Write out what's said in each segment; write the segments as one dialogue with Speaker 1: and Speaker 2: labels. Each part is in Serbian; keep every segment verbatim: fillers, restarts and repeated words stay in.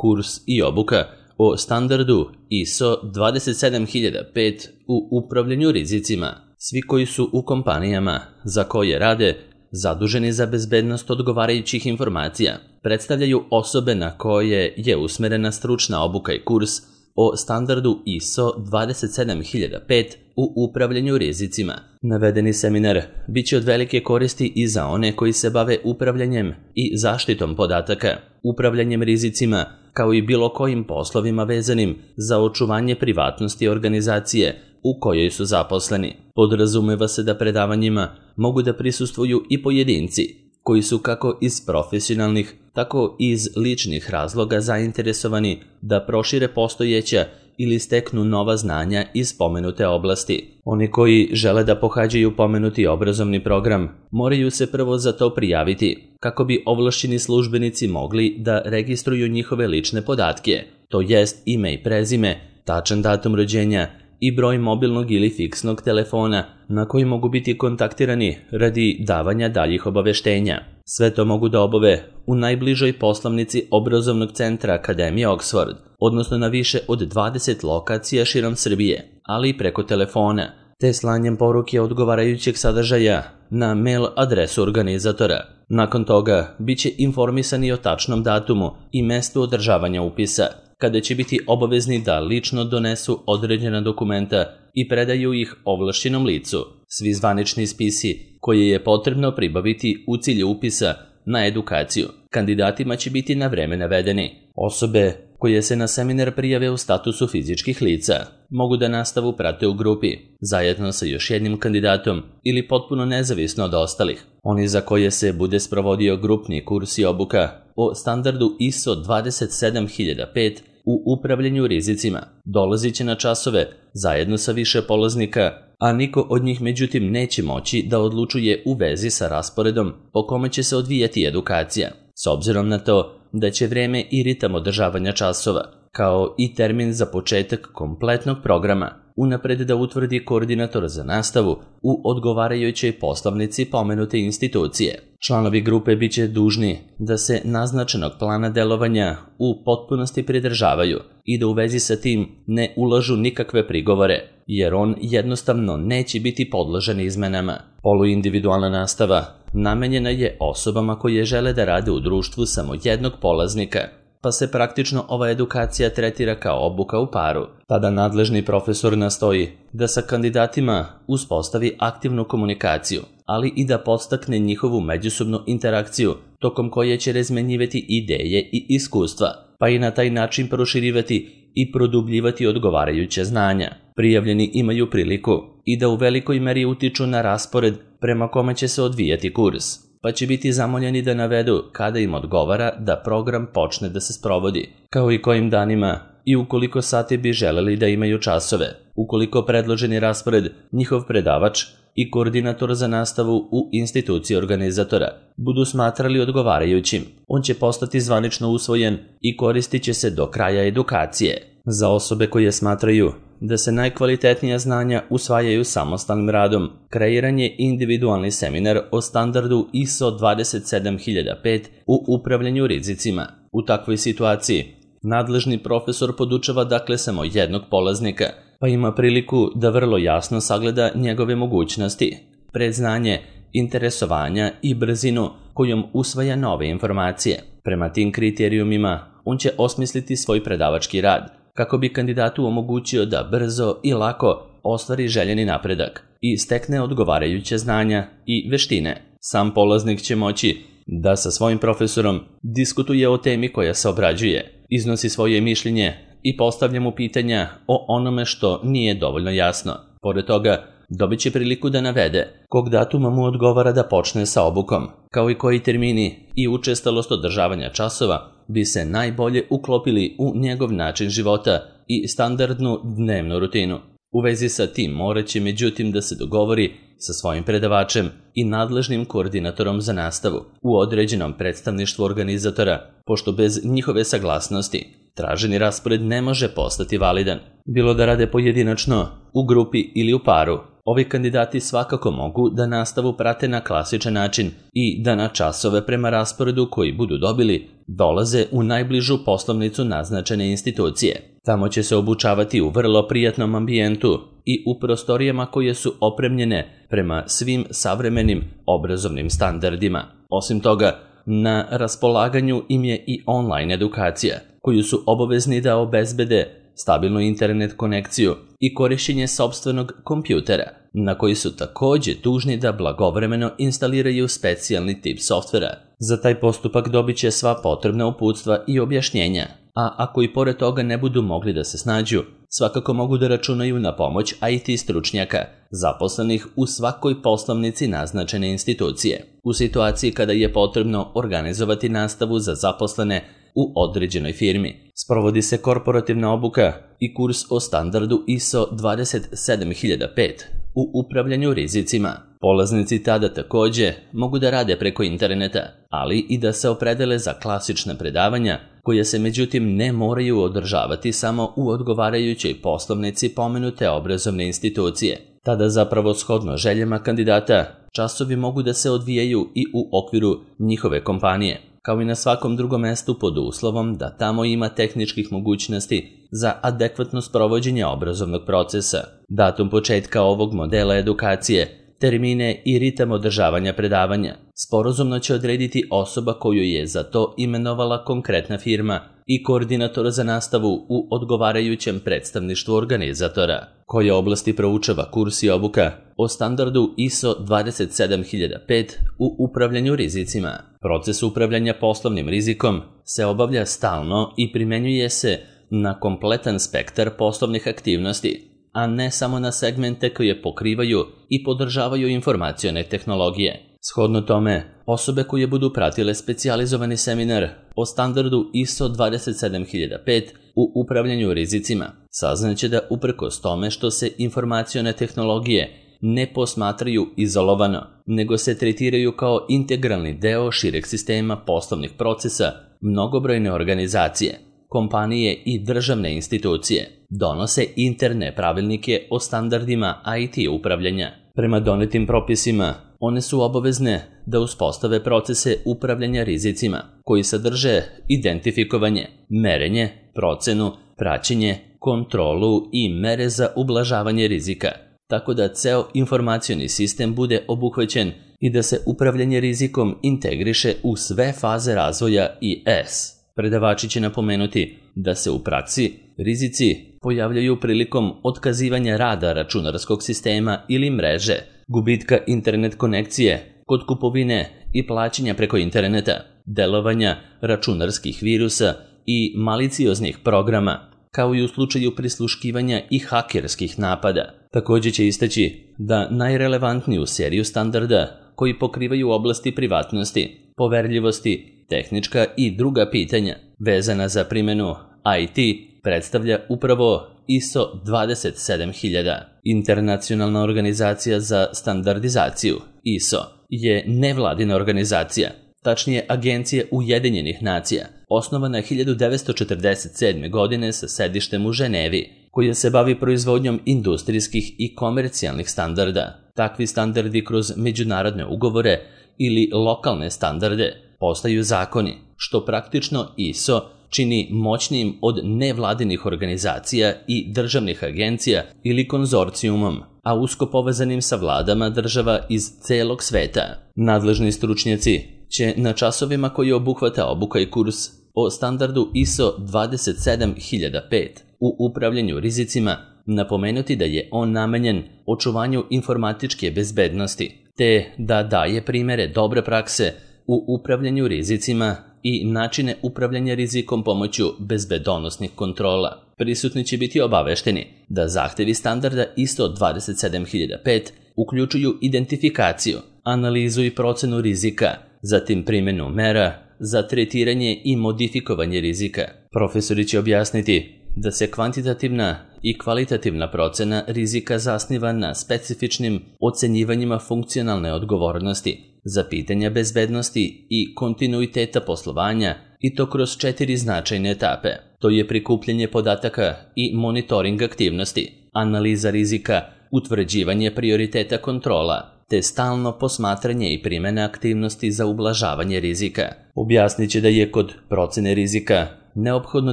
Speaker 1: kurs i obuka o standardu I S O dvadeset sedam hiljada pet u upravljanju rizicima. Svi koji su u kompanijama za koje rade zaduženi za bezbednost odgovarajućih informacija predstavljaju osobe na koje je usmerena stručna obuka i kurs o standardu I S O dvadeset sedam hiljada pet u upravljanju rizicima. Navedeni seminar biće od velike koristi i za one koji se bave upravljanjem i zaštitom podataka, upravljanjem rizicima, kao i bilo kojim poslovima vezanim za očuvanje privatnosti organizacije u kojoj su zaposleni. Podrazumeva se da predavanjima mogu da prisustvuju i pojedinci koji su kako iz profesionalnih, tako i iz ličnih razloga zainteresovani da prošire postojeća ili steknu nova znanja iz pomenute oblasti. Oni koji žele da pohađaju pomenuti obrazovni program moraju se prvo za to prijaviti, kako bi ovlašćeni službenici mogli da registruju njihove lične podatke, to jest ime i prezime, tačan datum rođenja i broj mobilnog ili fiksnog telefona na koji mogu biti kontaktirani radi davanja daljih obaveštenja. Sve to mogu da obave u najbližoj poslovnici obrazovnog centra Akademije Oxford, odnosno na više od dvadeset lokacija širom Srbije, ali i preko telefona, te slanjem poruke odgovarajućeg sadržaja na mail adresu organizatora. Nakon toga biće informisani o tačnom datumu i mestu održavanja upisa, kada će biti obavezni da lično donesu određena dokumenta i predaju ih ovlašćenom licu. Svi zvanični spisi koje je potrebno pribaviti u cilju upisa na edukaciju kandidatima će biti na vreme navedeni. Osobe koje se na seminar prijave u statusu fizičkih lica mogu da nastavu prate u grupi, zajedno sa još jednim kandidatom ili potpuno nezavisno od ostalih. Oni za koje se bude sprovodio grupni kurs i obuka o standardu I S O dvadeset sedam hiljada pet u upravljanju rizicima dolazit će na časove zajedno sa više polaznika, a niko od njih međutim neće moći da odlučuje u vezi sa rasporedom po kome će se odvijati edukacija, s obzirom na to da će vreme i ritam održavanja časova, kao i termin za početak kompletnog programa, unapred da utvrdi koordinator za nastavu u odgovarajućoj poslovnici pomenute institucije. Članovi grupe biće dužni da se naznačenog plana delovanja u potpunosti pridržavaju i da u vezi sa tim ne ulažu nikakve prigovore, jer on jednostavno neće biti podložen izmenama. Poluindividualna nastava namenjena je osobama koje žele da rade u društvu samo jednog polaznika, pa se praktično ova edukacija tretira kao obuka u paru. Tada nadležni profesor nastoji da sa kandidatima uspostavi aktivnu komunikaciju, ali i da podstakne njihovu međusobnu interakciju, tokom koje će razmenjivati ideje i iskustva, pa i na taj način proširivati i produbljivati odgovarajuće znanja. Prijavljeni imaju priliku i da u velikoj meri utiču na raspored prema kome će se odvijati kurs, pa će biti zamoljeni da navedu kada im odgovara da program počne da se sprovodi, kao i kojim danima i ukoliko sati bi želeli da imaju časove. Ukoliko predloženi raspored, njihov predavač i koordinator za nastavu u instituciji organizatora budu smatrali odgovarajućim, on će postati zvanično usvojen i koristit će se do kraja edukacije. Za osobe koje smatraju da se najkvalitetnija znanja usvajaju samostalnim radom, kreiran je individualni seminar o standardu I S O dvadeset sedam hiljada pet u upravljanju rizicima. U takvoj situaciji, nadležni profesor podučava dakle samo jednog polaznika, pa ima priliku da vrlo jasno sagleda njegove mogućnosti, predznanje, interesovanja i brzinu kojom usvaja nove informacije. Prema tim kriterijumima, on će osmisliti svoj predavački rad, kako bi kandidatu omogućio da brzo i lako ostvari željeni napredak i stekne odgovarajuće znanja i veštine. Sam polaznik će moći da sa svojim profesorom diskutuje o temi koja se obrađuje, iznosi svoje mišljenje i postavlja mu pitanja o onome što nije dovoljno jasno. Pored toga, dobit će priliku da navede kog datuma mu odgovara da počne sa obukom, kao i koji termini i učestalost održavanja časova bi se najbolje uklopili u njegov način života i standardnu dnevnu rutinu. U vezi sa tim morat će međutim da se dogovori sa svojim predavačem i nadležnim koordinatorom za nastavu u određenom predstavništvu organizatora, pošto bez njihove saglasnosti traženi raspored ne može postati validan, bilo da rade pojedinačno, u grupi ili u paru. Ovi kandidati svakako mogu da nastavu prate na klasičan način i da na časove prema rasporedu koji budu dobili dolaze u najbližu poslovnicu naznačene institucije. Tamo će se obučavati u vrlo prijatnom ambijentu i u prostorijama koje su opremljene prema svim savremenim obrazovnim standardima. Osim toga, na raspolaganju im je i online edukacija, koju su obavezni da obezbede stabilnu internet konekciju i korišćenje sopstvenog kompjutera, na koji su također dužni da blagovremeno instaliraju specijalni tip softvera. Za taj postupak dobit će sva potrebna uputstva i objašnjenja, a ako i pored toga ne budu mogli da se snađu, svakako mogu da računaju na pomoć I T stručnjaka, zaposlenih u svakoj poslovnici naznačene institucije. U situaciji kada je potrebno organizovati nastavu za zaposlene u određenoj firmi, sprovodi se korporativna obuka i kurs o standardu I S O dvadeset sedam hiljada pet u upravljanju rizicima. Polaznici tada također mogu da rade preko interneta, ali i da se opredele za klasična predavanja, koja se međutim ne moraju održavati samo u odgovarajućoj poslovnici pomenute obrazovne institucije. Tada zapravo shodno željama kandidata, časovi mogu da se odvijaju i u okviru njihove kompanije, kao i na svakom drugom mestu pod uslovom da tamo ima tehničkih mogućnosti za adekvatno sprovođenje obrazovnog procesa. Datum početka ovog modela edukacije, termine i ritam održavanja predavanja sporazumno će odrediti osoba koju je za to imenovala konkretna firma i koordinator za nastavu u odgovarajućem predstavništvu organizatora. Koje oblasti proučava kurs i obuka o standardu I S O dvadeset sedam hiljada pet u upravljanju rizicima. Proces upravljanja poslovnim rizikom se obavlja stalno i primenjuje se na kompletan spektar poslovnih aktivnosti, a ne samo na segmente koje pokrivaju i podržavaju informacione tehnologije. Shodno tome, osobe koje budu pratile specijalizovani seminar o standardu I S O dvadeset sedam hiljada pet u upravljanju rizicima saznaće da uprkos tome što se informacione tehnologije ne posmatraju izolovano, nego se tretiraju kao integralni deo šireg sistema poslovnih procesa, mnogobrojne organizacije, kompanije i državne institucije donose interne pravilnike o standardima I T upravljanja. Prema donetim propisima, one su obavezne da uspostave procese upravljanja rizicima koji sadrže identifikovanje, merenje, procenu, praćenje, kontrolu i mere za ublažavanje rizika, tako da ceo informacioni sistem bude obuhvaćen i da se upravljanje rizikom integriše u sve faze razvoja I S. Predavači će napomenuti da se u praksi rizici pojavljaju prilikom otkazivanja rada računarskog sistema ili mreže, gubitka internet konekcije kod kupovine i plaćanja preko interneta, delovanja računarskih virusa i malicioznih programa, kao i u slučaju prisluškivanja i hakerskih napada. Također će istaći da najrelevantniju seriju standarda koji pokrivaju oblasti privatnosti, poverljivosti, tehnička i druga pitanja vezana za primjenu I T predstavlja upravo I S O dvadeset sedam hiljada. Internacionalna organizacija za standardizaciju I S O je nevladina organizacija, tačnije Agencija Ujedinjenih nacija, osnovana hiljadu devetsto četrdeset sedme. godine sa sedištem u Ženevi, koja se bavi proizvodnjom industrijskih i komercijalnih standarda. Takvi standardi kroz međunarodne ugovore ili lokalne standarde postaju zakoni, što praktično I S O čini moćnijim od nevladinih organizacija i državnih agencija ili konzorcijumom, a usko povezanim sa vladama država iz celog sveta. Nadležni stručnjaci će na časovima koji obuhvata obuka i kurs o standardu I S O dvadeset sedam hiljada pet u upravljanju rizicima napomenuti da je on namenjen očuvanju informatičke bezbednosti, te da daje primere dobre prakse u upravljanju rizicima i načine upravljanja rizikom pomoću bezbedonosnih kontrola. Prisutni će biti obavešteni da zahtevi standarda I S O dvadeset sedam hiljada pet uključuju identifikaciju, analizu i procenu rizika, zatim primjenu mera za tretiranje i modifikovanje rizika. Profesori će objasniti da se kvantitativna i kvalitativna procena rizika zasniva na specifičnim ocenjivanjima funkcionalne odgovornosti za pitanja bezbednosti i kontinuiteta poslovanja, i to kroz četiri značajne etape. To je prikupljanje podataka i monitoring aktivnosti, analiza rizika utvrđivanje prioriteta kontrola, te stalno posmatranje i primjena aktivnosti za ublažavanje rizika. Objasnit će da je kod procene rizika neophodno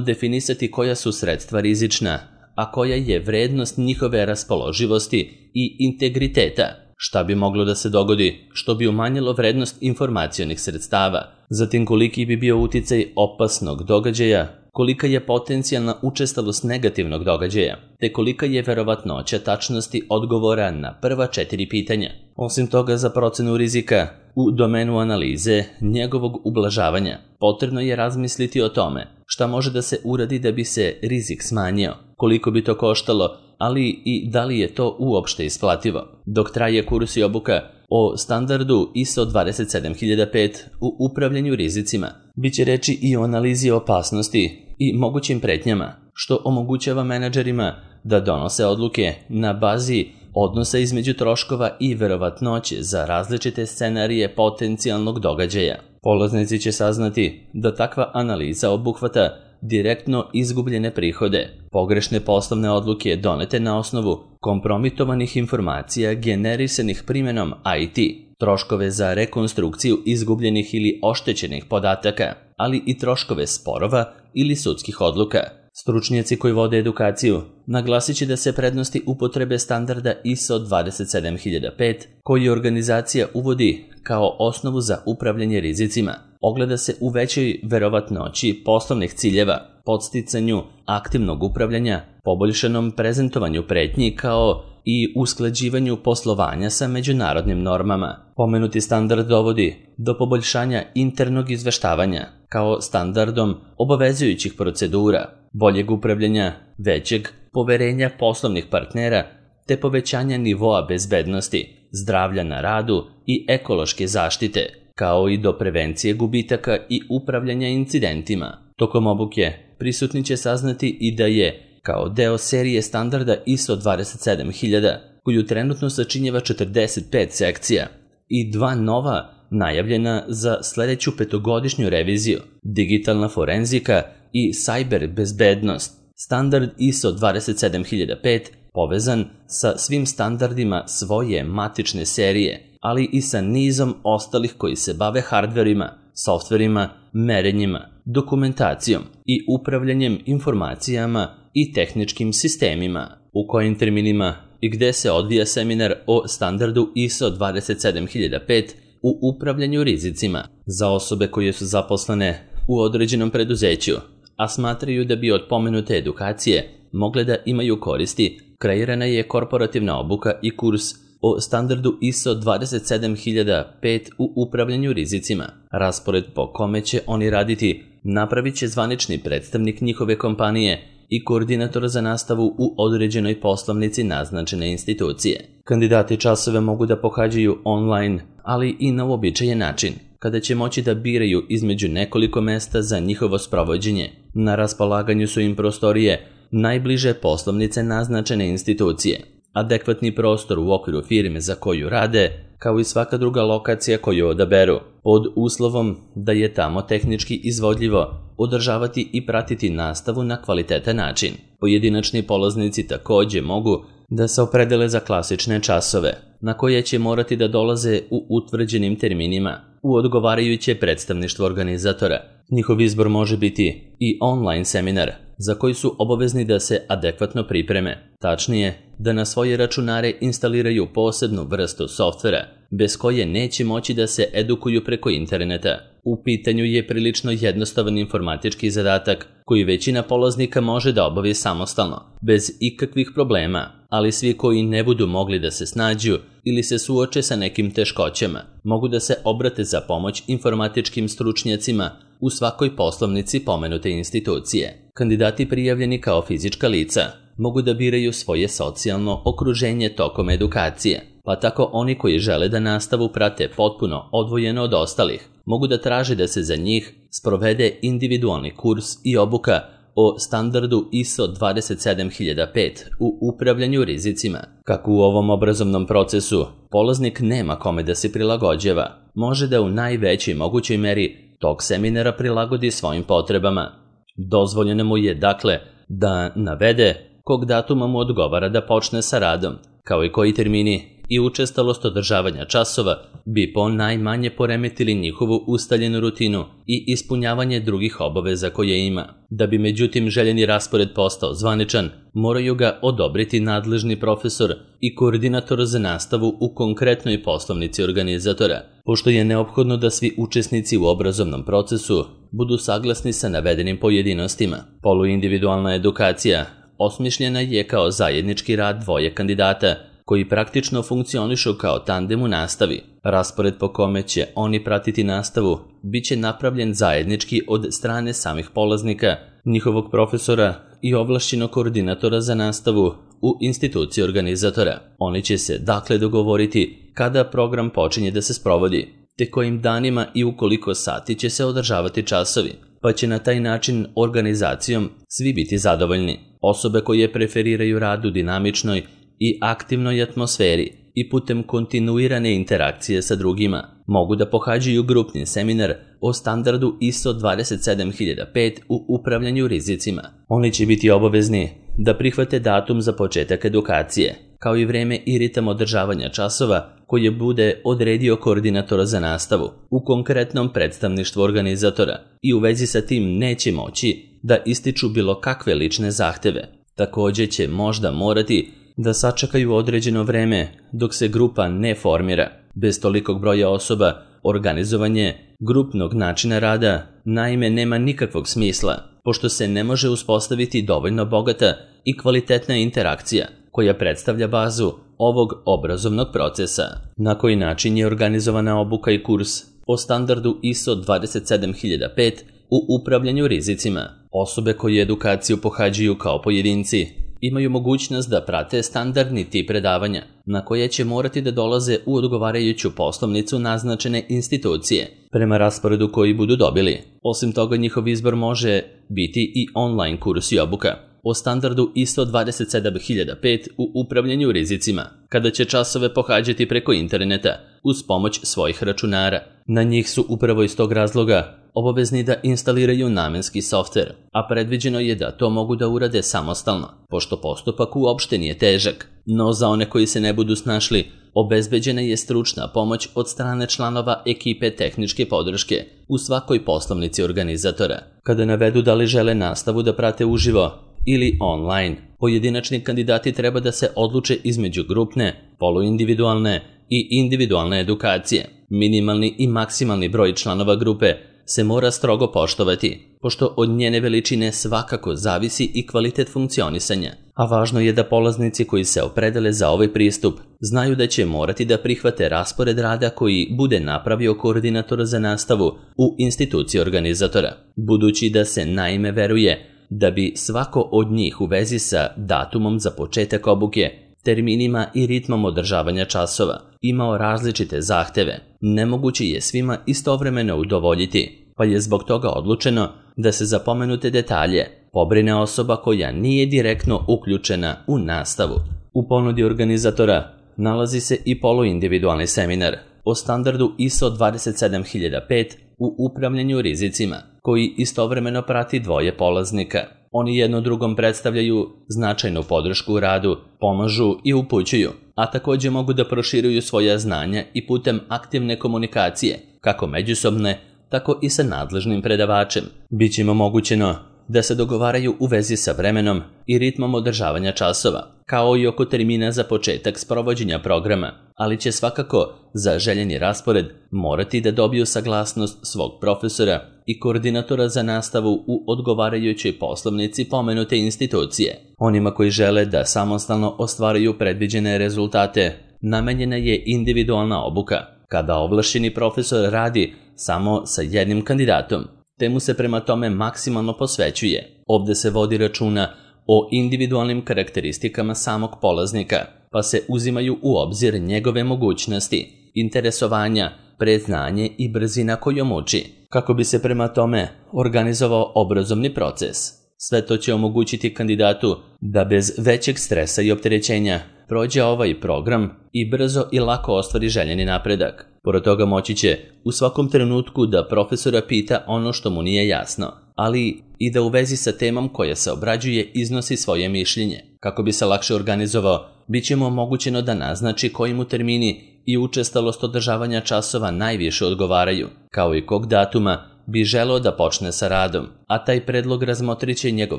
Speaker 1: definisati koja su sredstva rizična, a koja je vrednost njihove raspoloživosti i integriteta, šta bi moglo da se dogodi što bi umanjilo vrednost informacionih sredstava, zatim koliki bi bio uticaj opasnog događaja, kolika je potencijalna učestalost negativnog događaja, te kolika je verovatnoća tačnosti odgovora na prva četiri pitanja. Osim toga, za procenu rizika u domenu analize njegovog ublažavanja potrebno je razmisliti o tome šta može da se uradi da bi se rizik smanjio, koliko bi to koštalo, ali i da li je to uopšte isplativo. Dok traje kurs i obuka o standardu I S O dvadeset sedam hiljada pet u upravljanju rizicima, bit će reči i o analizi opasnosti i mogućim pretnjama, što omogućava menadžerima da donose odluke na bazi odnosa između troškova i verovatnoće za različite scenarije potencijalnog događaja. Polaznici će saznati da takva analiza obuhvata direktno izgubljene prihode, pogrešne poslovne odluke donete na osnovu kompromitovanih informacija generisanih primjenom I T, troškove za rekonstrukciju izgubljenih ili oštećenih podataka, ali i troškove sporova ili sudskih odluka. Stručnjaci koji vode edukaciju naglasit će da se prednosti upotrebe standarda I S O dvadeset sedam hiljada pet, koji organizacija uvodi kao osnovu za upravljanje rizicima, ogleda se u većoj verovatnoći poslovnih ciljeva, podsticanju aktivnog upravljanja, poboljšanom prezentovanju pretnji kao i usklađivanju poslovanja sa međunarodnim normama. Pomenuti standard dovodi do poboljšanja internog izveštavanja kao standardom obavezujućih procedura, boljeg upravljanja, većeg poverenja poslovnih partnera te povećanja nivoa bezbednosti, zdravlja na radu i ekološke zaštite, kao i do prevencije gubitaka i upravljanja incidentima. Tokom obuke prisutni će saznati i da je, kao deo serije standarda I S O dvadeset sedam hiljada, koju trenutno sačinjava četrdeset pet sekcija, i dva nova najavljena za sledeću petogodišnju reviziju, digitalna forenzika i cyber bezbednost. Standard I S O dvadeset sedam hiljada pet povezan sa svim standardima svoje matične serije, ali i sa nizom ostalih koji se bave hardverima, softverima, merenjima, dokumentacijom i upravljanjem informacijama i tehničkim sistemima. U kojim terminima i gde se odvija seminar o standardu I S O dvadeset sedam hiljada pet u upravljanju rizicima za osobe koje su zaposlene u određenom preduzeću, a smatraju da bi od pomenute edukacije mogle da imaju koristi, kreirana je korporativna obuka i kurs o standardu I S O dvadeset sedam hiljada pet u upravljanju rizicima. Raspored po kome će oni raditi napravit će zvanični predstavnik njihove kompanije i koordinator za nastavu u određenoj poslovnici naznačene institucije. Kandidati časove mogu da pohađaju online, ali i na uobičajen način, kada će moći da biraju između nekoliko mesta za njihovo sprovođenje. Na raspolaganju su im prostorije najbliže poslovnice naznačene institucije, adekvatni prostor u okviru firme za koju rade, kao i svaka druga lokacija koju odaberu, pod uslovom da je tamo tehnički izvodljivo održavati i pratiti nastavu na kvalitetan način. Pojedinačni polaznici takođe mogu da se opredele za klasične časove, na koje će morati da dolaze u utvrđenim terminima u odgovarajuće predstavništvo organizatora. Njihov izbor može biti i online seminar, za koji su obavezni da se adekvatno pripreme. Tačnije, da na svoje računare instaliraju posebnu vrstu softvera, bez koje neće moći da se edukuju preko interneta. U pitanju je prilično jednostavan informatički zadatak koji većina polaznika može da obavi samostalno, bez ikakvih problema, ali svi koji ne budu mogli da se snađu ili se suoče sa nekim teškoćama, mogu da se obrate za pomoć informatičkim stručnjacima u svakoj poslovnici pomenute institucije. Kandidati prijavljeni kao fizička lica mogu da biraju svoje socijalno okruženje tokom edukacije, pa tako oni koji žele da nastavu prate potpuno odvojeno od ostalih, mogu da traže da se za njih sprovede individualni kurs i obuka o standardu I S O dvadeset sedam hiljada pet u upravljanju rizicima. Kako u ovom obrazovnom procesu polaznik nema kome da se prilagođava, može da u najvećoj mogućoj meri tok seminara prilagodi svojim potrebama. Dozvoljeno mu je, dakle, da navede kog datuma mu odgovara da počne sa radom, kao i koji termini i učestalost održavanja časova bi po najmanje poremetili njihovu ustaljenu rutinu i ispunjavanje drugih obaveza koje ima. Da bi međutim željeni raspored postao zvaničan, moraju ga odobriti nadležni profesor i koordinator za nastavu u konkretnoj poslovnici organizatora, pošto je neophodno da svi učesnici u obrazovnom procesu budu saglasni sa navedenim pojedinostima. Poluindividualna edukacija osmišljena je kao zajednički rad dvoje kandidata koji praktično funkcionišu kao tandem u nastavi. Raspored po kome će oni pratiti nastavu biće napravljen zajednički od strane samih polaznika, njihovog profesora i ovlašćenog koordinatora za nastavu u instituciji organizatora. Oni će se dakle dogovoriti kada program počinje da se sprovodi, te kojim danima i u koliko sati će se održavati časovi, pa će na taj način organizacijom svi biti zadovoljni. Osobe koje preferiraju rad u dinamičnoj i aktivnoj atmosferi i putem kontinuirane interakcije sa drugima mogu da pohađaju grupni seminar o standardu I S O dvadeset sedam hiljada pet u upravljanju rizicima. Oni će biti obavezni da prihvate datum za početak edukacije, kao i vreme i ritam održavanja časova koje bude odredio koordinator za nastavu u konkretnom predstavništvu organizatora i u vezi sa tim neće moći da ističu bilo kakve lične zahteve. Također će možda morati da sačekaju određeno vreme dok se grupa ne formira. Bez tolikog broja osoba, organizovanje grupnog načina rada naime nema nikakvog smisla, pošto se ne može uspostaviti dovoljno bogata i kvalitetna interakcija koja predstavlja bazu ovog obrazovnog procesa. Na koji način je organizovana obuka i kurs o standardu I S O dvadeset sedam hiljada pet u upravljanju rizicima? Osobe koje edukaciju pohađaju kao pojedinci imaju mogućnost da prate standardni tip predavanja, na koje će morati da dolaze u odgovarajuću poslovnicu naznačene institucije, prema rasporedu koji budu dobili. Osim toga, njihov izbor može biti i online kurs i obuka o standardu I S O dvadeset sedam hiljada pet u upravljanju rizicima, kada će časove pohađati preko interneta uz pomoć svojih računara. Na njih su upravo iz tog razloga obavezni da instaliraju namenski softver, a predviđeno je da to mogu da urade samostalno, pošto postupak uopšte nije težak. No za one koji se ne budu snašli, obezbeđena je stručna pomoć od strane članova ekipe tehničke podrške u svakoj poslovnici organizatora. Kada navedu da li žele nastavu da prate uživo ili online, pojedinačni kandidati treba da se odluče između grupne, poluindividualne i individualne edukacije. Minimalni i maksimalni broj članova grupe se mora strogo poštovati, pošto od njene veličine svakako zavisi i kvalitet funkcionisanja, a važno je da polaznici koji se opredele za ovaj pristup znaju da će morati da prihvate raspored rada koji bude napravio koordinator za nastavu u instituciji organizatora, budući da se naime veruje da bi svako od njih u vezi sa datumom za početak obuke, terminima i ritmom održavanja časova imao različite zahteve. Nemoguće je svima istovremeno udovoljiti, pa je zbog toga odlučeno da se za pomenute detalje pobrine osoba koja nije direktno uključena u nastavu. U ponudi organizatora nalazi se i poluindividualni seminar o standardu I S O dvadeset sedam hiljada pet u upravljanju rizicima, koji istovremeno prati dvoje polaznika. Oni jedno drugom predstavljaju značajnu podršku u radu, pomažu i upućuju, a također mogu da proširuju svoja znanja i putem aktivne komunikacije, kako međusobne, tako i sa nadležnim predavačem. Biće im omogućeno da se dogovaraju u vezi sa vremenom i ritmom održavanja časova, kao i oko termina za početak sprovođenja programa, ali će svakako za željeni raspored morati da dobiju saglasnost svog profesora i koordinatora za nastavu u odgovarajućoj poslovnici pomenute institucije. Onima koji žele da samostalno ostvaruju predviđene rezultate, namenjena je individualna obuka, kada ovlašćeni profesor radi samo sa jednim kandidatom, te mu se prema tome maksimalno posvećuje. Ovdje se vodi računa o individualnim karakteristikama samog polaznika, pa se uzimaju u obzir njegove mogućnosti, interesovanja, predznanje i brzina kojom uči, kako bi se prema tome organizovao obrazovni proces. Sve to će omogućiti kandidatu da bez većeg stresa i opterećenja prođe ovaj program i brzo i lako ostvari željeni napredak. Pored toga moći će u svakom trenutku da profesora pita ono što mu nije jasno, ali i da u vezi sa temom koja se obrađuje iznosi svoje mišljenje. Kako bi se lakše organizovao, bit će mu omogućeno da naznači koji mu termini i učestalost održavanja časova najviše odgovaraju, kao i kog datuma bi želeo da počne sa radom, a taj predlog razmotrit će njegov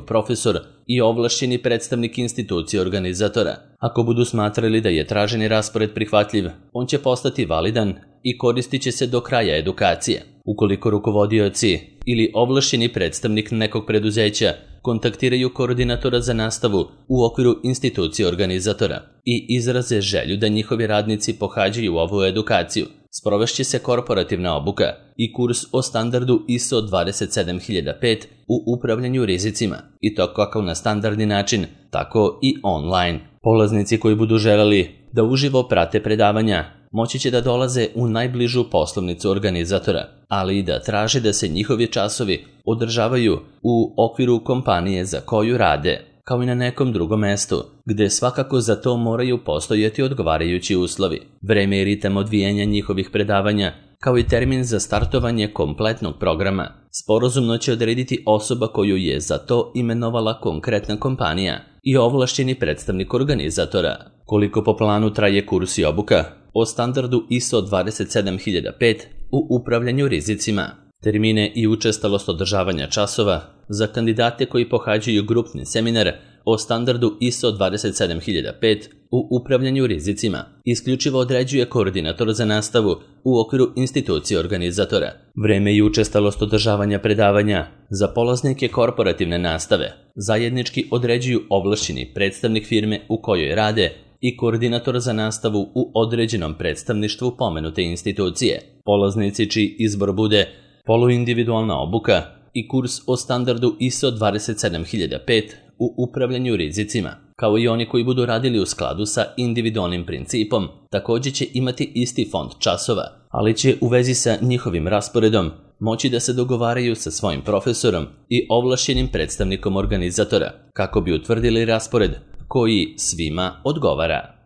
Speaker 1: profesor i ovlašćeni predstavnik institucije organizatora. Ako budu smatrali da je traženi raspored prihvatljiv, on će postati validan i koristit će se do kraja edukacije. Ukoliko rukovodioci ili ovlašćeni predstavnik nekog preduzeća kontaktiraju koordinatora za nastavu u okviru institucije organizatora i izraze želju da njihovi radnici pohađaju ovu edukaciju, sprovešće se korporativna obuka i kurs o standardu I S O dvadeset sedam hiljada pet u upravljanju rizicima, i to kako na standardni način, tako i online. Polaznici koji budu želeli da uživo prate predavanja moći će da dolaze u najbližu poslovnicu organizatora, ali i da traže da se njihovi časovi održavaju u okviru kompanije za koju rade, kao i na nekom drugom mestu, gde svakako za to moraju postojati odgovarajući uslovi. Vreme i ritam odvijanja njihovih predavanja, kao i termin za startovanje kompletnog programa, sporazumno će odrediti osoba koju je za to imenovala konkretna kompanija i ovlašćeni predstavnik organizatora. Koliko po planu traje kurs i obuka o standardu I S O dvadeset sedam hiljada pet u upravljanju rizicima? Termine i učestalost održavanja časova za kandidate koji pohađaju grupni seminar o standardu I S O dvadeset sedam hiljada pet u upravljanju rizicima isključivo određuje koordinator za nastavu u okviru institucije organizatora. Vreme i učestalost održavanja predavanja za polaznike korporativne nastave zajednički određuju ovlašćeni predstavnik firme u kojoj rade i koordinator za nastavu u određenom predstavništvu pomenute institucije. Polaznici čiji izbor bude poluindividualna obuka i kurs o standardu I S O dvadeset sedam hiljada pet u upravljanju rizicima, kao i oni koji budu radili u skladu sa individualnim principom, također će imati isti fond časova, ali će u vezi sa njihovim rasporedom moći da se dogovaraju sa svojim profesorom i ovlašćenim predstavnikom organizatora, kako bi utvrdili raspored koji svima odgovara.